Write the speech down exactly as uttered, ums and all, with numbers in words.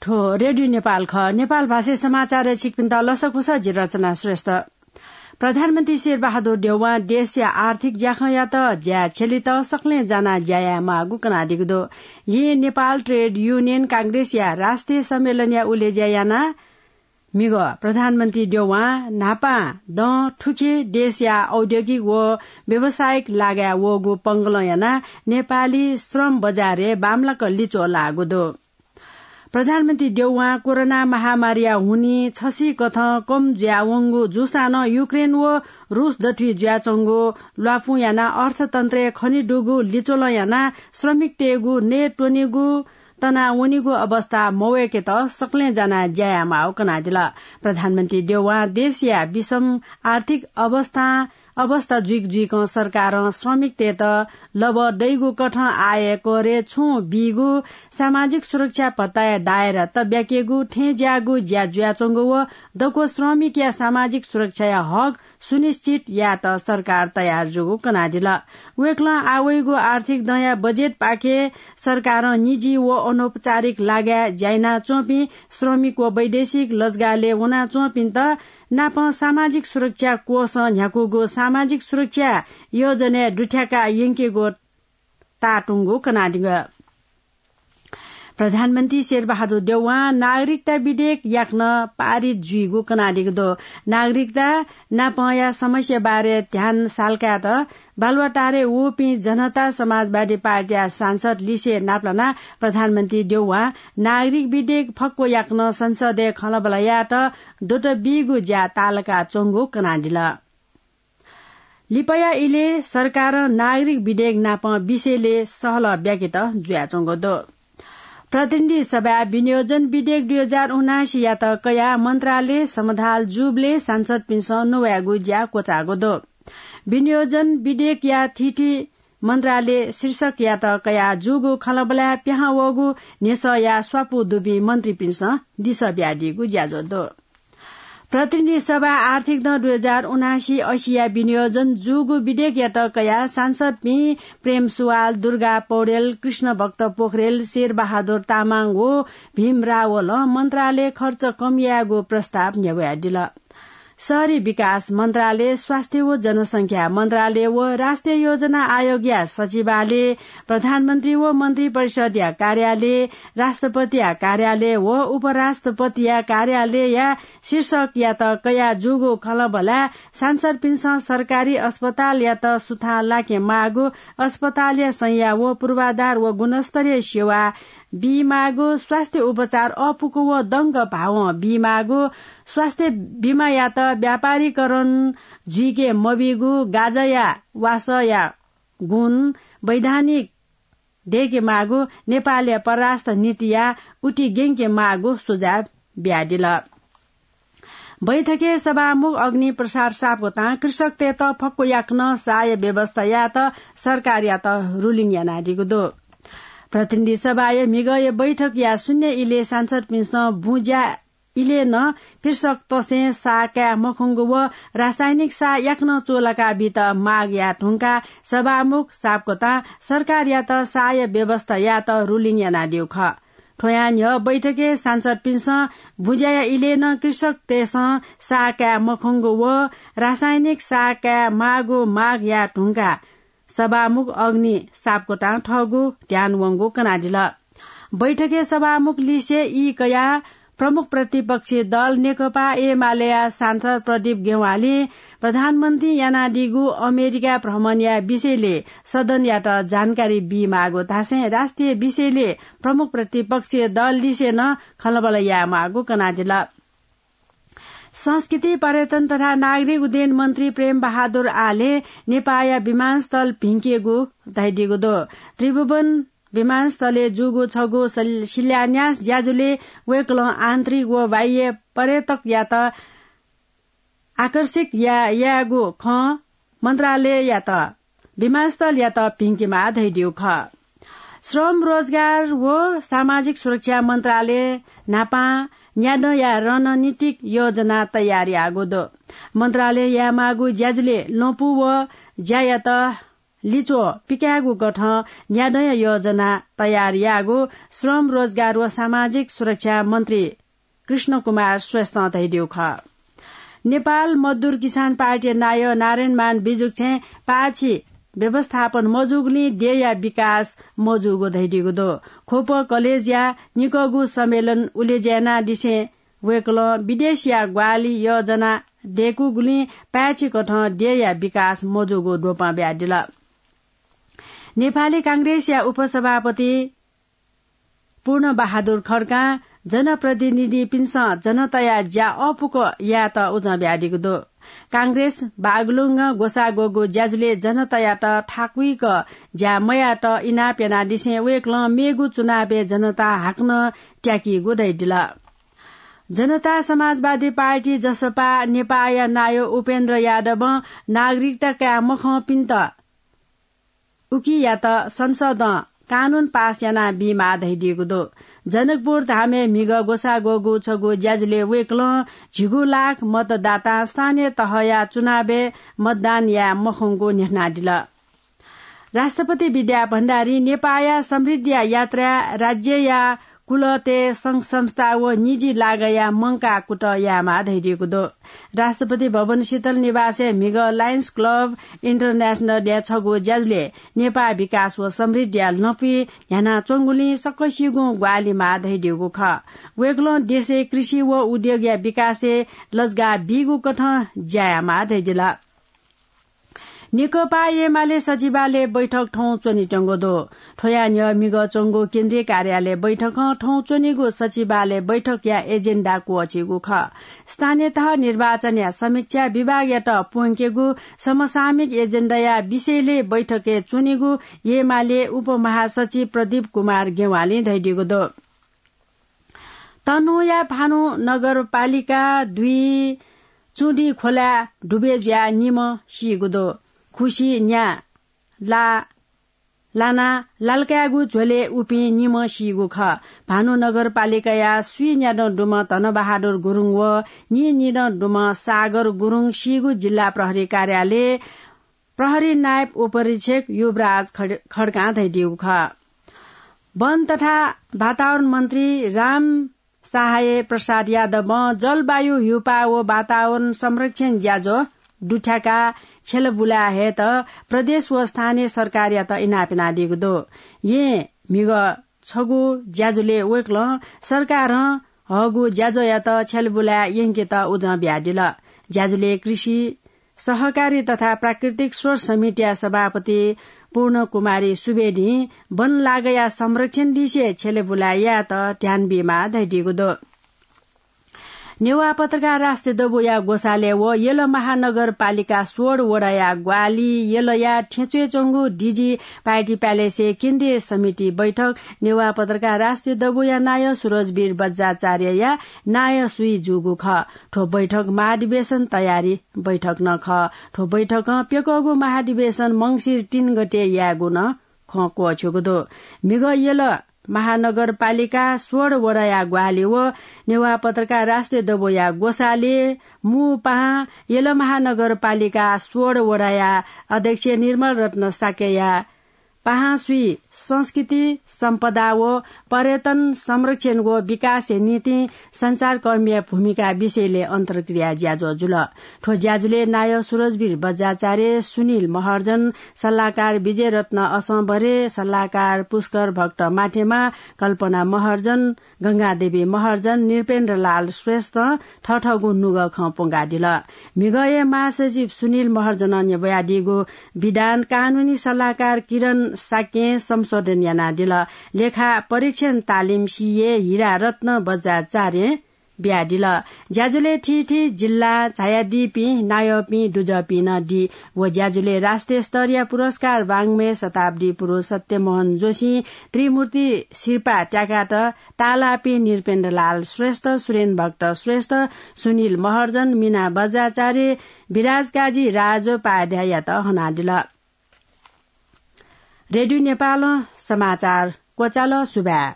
थ्व रेडियो नेपाल खः। नेपाल भाषाय् समाचारय् छिकपिन्त लसकुस, जि रचना श्रेष्ठ। प्रधानमन्त्री शेरबहादुर देउवां देशया आर्थिक ज्याखँयात ज्या छ्यलेत सकलें जानाः ज्या यायेमाःगु कनादीगु दु। येँ नेपाल ट्रेड युनियन कांग्रेसया राष्ट्रिय सम्मेलनया उलेज्या यानाः म्हिगः प्रधानमन्त्री देउवां न्हापां दँ थुखे देशया औद्योगिक व व्यावसायिक लागाय् वःगु पंगलं यानाः नेपाली श्रम बजारय् बांमलाक लिच्वः लाःगु दु। प्रधानमन्त्री देउवां कोरोना महामारीया हुनिं छसिकथं कम जुयावंगु जूसां नं युक्रेन व रूस दथुइ जुयाच्वंगु ल्वापुं यानाः अर्थतन्त्रय् खनेदुगु लिच्वलं यानाः श्रमिकतय्गु नयेत्वनेगु तनावनीगु अवस्था मवय्केत सकलें जानाः ज्या यायेमाःगु कनादिल। प्रधानमन्त्री देउवां देशया विषम आर्थिक अवस्था, अवस्था जुइक जुइकं सरकारं श्रमिकतय्त लबः दइगु कथं आयकरय् छुं बीगु सामाजिक सुरक्षा भत्ताया दायरा तब्याकेगु, थें ज्याःगु ज्या जुयाच्वंगु व दक्व श्रमिकया सामाजिक सुरक्षाया हक सुनिश्चित यायेत सरकार तयार जूगु कनादिल। वय्कलं आः वइगु आर्थिक दँया बजेटपाखे सरकारं निजी व अनौपचारिक लागाय् ज्या यानाच्वंपिं श्रमिक व वैदेशिक लजगालय् वनाच्वंपिन्त नापं सामाजिक सुरक्षा कोषं न्ह्याकूगु सामाजिक सुरक्षा योजनाय् दुथ्याका यंकेगु ताःतुंगु कनादिल। प्रधानमन्त्री शेरबहादुर देउवां नागरिकता विधेयक याकनं पारित जुइगु कनादीगु दु। नागरिकता नापंया समस्या बारे ध्यान साल्कायेत बालुवाटारय् वःपिं जनता समाजवादी पार्टीया सांसद लिसे नापलानाः प्रधानमन्त्री देउवां नागरिक विधेयक फक्व याकनं संसदय् खँल्हाबल्हा यायेत द्वत बीगु ज्या ताःलाकाच्वंगु कनादिल। लिपाया इलय् सरकारं नागरिक विधेयक नापं विषयलय् सहलह ब्याकेत जुयाच्वंगु दु। प्रतिनिधि सभाय् विनियोजन विधेयक दुई हजार उनासीयात कयाः मन्त्रालय समधाल जूबलय् सांसदपिन्सं नुवायेगु ज्या क्वचाःगु दु। विनियोजन विधेयकया थीथी मन्त्रालय शीर्षकयात कयाः जूगु खँल्हाबल्हाय् पिहां वःगु न्ह्यसःया स्वापू दुपिं मन्त्रीपिन्सं लिसः बियादीगु ज्याझ्वः दु। प्रतिनिधि सभा आर्थिक दँ दुई हजार उनासी असीया विनियोजन जूगु विधेयकयात कयाः सांसदपिं प्रेम सुवाल, दुर्गा पौडेल, कृष्णभक्त पोखरेल, शेरबहादुर तामाङ व भीम रावलं मन्त्रालय खर्च कम यायेगु प्रस्ताव न्ह्यब्वयादिल। शहरी विकास मन्त्रालय, स्वास्थ्य व जनसंख्या मन्त्रालय व राष्ट्रिय योजना आयोगया सचिवालय, प्रधानमन्त्री व मन्त्री परिषदया कार्यालय, राष्ट्रपतिया कार्यालय व उपराष्ट्रपतिया कार्यालयया शीर्षकयात कयाः जूगु खँल्हाबल्हाय् सांसदपिन्सं सरकारी अस्पतालयात सुथां लाकेमाःगु, अस्पतालया संज्ञा व पूर्वाधार व गुणस्तरीय सेवा बीमाःगु, स्वास्थ्य उपचार अःपुक व दंग भावं बीमाःगु, स्वास्थ्य बिमायात व्यापारीकरण जुइके मबीगु, गाँजाया वासःया गुण वैधानिक दयेकेमाःगु, नेपालया परराष्ट्र नीतिया उति ग्यंकेमाःगु सुझाव बियादिल। बैठकय् सभामुख अग्नि प्रसाद सापकोटां कृषकतय्त फक्व याकनं साःया व्यवस्था यायेत सरकारयात ruling यानादीगु दु। प्रतिनिधि सभाया म्हिगःया बैठकया शून्य इलय् सांसदपिन्सं बुँज्या इलय् नं कृषकतय्सं साः काये मखंगु व रासायनिक साः याकनं चूलाका बीत माग याये धुंकाः सभामुख सापकोटां सरकारयात साःया व्यवस्था यायेत ruling यानादीगु खः। थ्वयां न्ह्यः बैठकय् सांसदपिन्सं बुँज्याया इलय् नं कृषकतय्सं साः काये मखंगु व रासायनिक साः काये माःगु माग याये धुंकाः सभामुख अग्नि सापकोटां थःगु ध्यान वंगु कनादिल। बैठकय् सभामुख लिसे ई कयाः प्रमुख प्रतिपक्षी दल नेकपा एमालेया सांसद प्रदीप गेवालीं प्रधानमन्त्रीं यानादीगु अमेरिका भ्रमणया विषयलय् सदनयात जानकारी बीमाःगु धासें राष्ट्रिय विषयलय् प्रमुख प्रतिपक्षी दल लिसे नं खँल्हाबल्हा यायेमाःगु कनादिल। संस्कृति, पर्यटन तथा नागरिक उड्डयन मन्त्री प्रेम बहादुर आलें नेपाःया विमानस्थल भिंकेगु धयादीगु दु। त्रिभुवन विमानस्थलय् जूगु छगू सल-, शिलान्यास ज्याझ्वलय् वय्कलं आन्तरिक व बाह्य पर्यटकयात आकर्षित या-, यायेगु खँ मन्त्रालययात विमानस्थलयात भिंकेमाः धयादीगु खः। श्रम, रोजगार व सामाजिक सुरक्षा मन्त्रालयं न्हापां न्यादँया रणनीतिक योजना तयार याःगु दु। मन्त्रालयं यायेमाःगु ज्याझ्वलय् लँपु व ज्यायात लिच्वः पिकायेगु कथं न्यादँया योजना तयार याःगु श्रम, रोजगार व सामाजिक सुरक्षा मन्त्री कृष्ण कुमार श्रेष्ठं धयादीगु खः। नेपाल मजदुर किसान पार्टीया नायः नारायणमान बिजुक्छें पाय्छि व्यवस्थापन मजूगुलिं देय्‌या विकास मजूगु धयादीगु दु। ख्वप कलेजया निकःगु सम्मेलन उलेज्यानादिसें वय्‌कलं विदेशया ग्वाहालि योजना दय्‌कूगुलिं पाय्‌छि कथं देय्‌या विकास मजूगु द्वपं बियादिल। नेपाली कांग्रेसया उपसभापति पूर्ण बहादुर खड्कां जनप्रतिनिधिपिन्सं जनताया ज्या अःपुक यायेत उजं बियादीगु दु। कांग्रेस बागलुङं ग्वसाः ग्वःगु ज्याझ्वलय् जनतायात थाकुइक ज्या मयायेत इनाप यानादिसें वय्‌कलं मेगु चुनावय् जनता हाकनं त्याकीगु धयादिल। जनता समाजवादी पार्टी, जसपा, नेपाःया नायः उपेन्द्र यादवं नागरिकता काये मखंपिन्त उकियात संसदं कानून पास याना बीमाः धयादीगु दु। जनकपुर धामय् म्हिगः ग्वसाः ग्वःगु छगू ज्याझ्वलय् वय्‌कलं झिगू लाख मतदातां स्थानीय तहया चुनावय् मतदान याये मखंगु न्ह्यथनादिल। राष्ट्रपति विद्या भण्डारी नेपाःया समृद्धिया यात्राय् राज्यया कुलतय् संघ संस्था व निजी लागःया मंकाः कुतः यायेमाः धयादीगु दु। राष्ट्रपति भवन शीतल निवासय् म्हिगः लायन्स क्लब इन्टरनेसनलया छगू ज्याझ्वलय् नेपाः विकास व समृद्धिया लँपुइ न्ह्यानाच्वंगुलिं सकसिगुं ग्वाहालि माः धयादीगु खः। वय्‌कलं देशय् कृषि व उद्योगया विकासय् लजगाः बीगु कथं ज्या यायेमाः धयादिल। नेकपा एमाले सचिवालय बैठक थौं च्वनेत्यंगु दु। थ्वया न्ह्यः म्हिगः च्वंगु केन्द्रीय कार्यालय बैठकं थौं च्वनीगु सचिवालय बैठकया एजेन्डा क्वःछीगु खः। स्थानीय तह निर्वाचनया समीक्षा, विभागयात प्वंकेगु समसामयिक एजेन्डाया विषयलय् बैठकय् च्वनीगु एमाले उपमहासचिव प्रदीप कुमार गेवालीं धयादीगु दु। तनहुँया भानु नगरपालिका दुई चुँडी खोलाय् डुबय् जुयाः निम्ह सीगु दु। खुसि न्या ला लानाः लालकाय्‌गु झ्वलय् उपिं निम्ह सीगु खः। भानु नगरपालिकाया स्वीन्यादँ दुम्ह धनबहादुर गुरुङ व नीनिदँ दुम्ह सागर गुरुङ सीगु जिल्ला प्रहरी कार्यालय प्रहरी नायब उपरीक्षक युवराज खड-, खड्कां धयादीगु खः। वन तथा वातावरण मन्त्री राम सहाय प्रसाद यादवं जलवायु, हिउपाः व वातावरण संरक्षण ज्याझ्वः दुथ्याकाः छ्यलाबुलाय् हयेत प्रदेश व स्थानीय सरकारयात इनाप यानादीगु दु। येँ म्हिगः छगू ज्याझ्वलय् वय्‌कलं सरकारं हःगु ज्याझ्वःयात छ्यलाबुलाय् यंकेत उजं बियादिल। ज्याझ्वलय् कृषि सहकारी तथा प्राकृतिक स्रोत समितिया सभापति पूर्ण कुमारी सुवेदीं वन लागःया संरक्षण लिसे छ्यलाबुलाय् यायेत ध्यान बीमाः धयादीगु दु। नेवाः पत्रकार राष्ट्रिय दबूया ग्वसालय् व यल महानगरपालिका सोह्र वडाया ग्वाहालि यलया थेंच्वय् च्वंगु डिजी पार्टी प्यालेसय् केन्द्रीय समिति बैठक नेवाः पत्रकार राष्ट्रिय दबूया नायः सुरजवीर बज्राचार्यया नायः सुइ जूगु खः। थ्व बैठक महाधिवेशन तयारी बैठक नं खः। थ्व बैठकं प्यकःगु महाधिवेशन मंसिर तीन गते यायेगु नं खँ क्वःछ्यूगु दु। म्हिगः यल महानगरपालिका सोह्र वडाया ग्वाहालि व नेवाः पत्रकार राष्ट्रिय दबूया ग्वसालय् मू पाहां यल महानगरपालिका सोह्र वडाया अध्यक्ष निर्मल रत्न शाक्यया पाहां सुइ संस्कृति, सम्पदा व पर्यटन संरक्षण व विकासया निंतिं सञ्चारकर्मीया भूमिका विषयलय् अन्तर्क्रिया ज्याझ्वः जुल। थ्व ज्याझ्वलय् नायः सुरजवीर बज्राचार्य, सुनिल महर्जन, सल्लाहकार विजयरत्न असंभरे, सल्लाहकार पुष्कर भक्त माथेमा, कल्पना महर्जन, गंगादेवी महर्जन, नृपेन्द्रलाल श्रेष्ठं थःथःगु नुगः खँ प्वंकादिल। म्हिगःया महासचिव सुनिल महर्जनं न्ह्यब्वयादीगु विधान कानूनी सल्लाहकार किरण शाक्यं संशोधन यानादिल। लेखा परीक्षण तालिम सीए हिरा रत्न बज्राचार्यं बियादिल। ज्याझ्वलय् थीथी जिल्लां झायादीपिं नायःपिं दुजःपिं नं दी। व ज्याझ्वलय् राष्ट्रिय स्तरया पुरस्कार वाङ्मय शताब्दी पुरुष सत्यमोहन जोशीं त्रिमूर्ति सिरपाः त्याकात ताःलाःपिं नृपेन्द्रलाल श्रेष्ठ, सुरेन भक्त श्रेष्ठ, सुनिल महर्जन, मीना बज्राचार्य, विराज काजी राजोपाध्याययात हनादिल। रेडियो नेपालं समाचार क्वचाल। सुभाय्।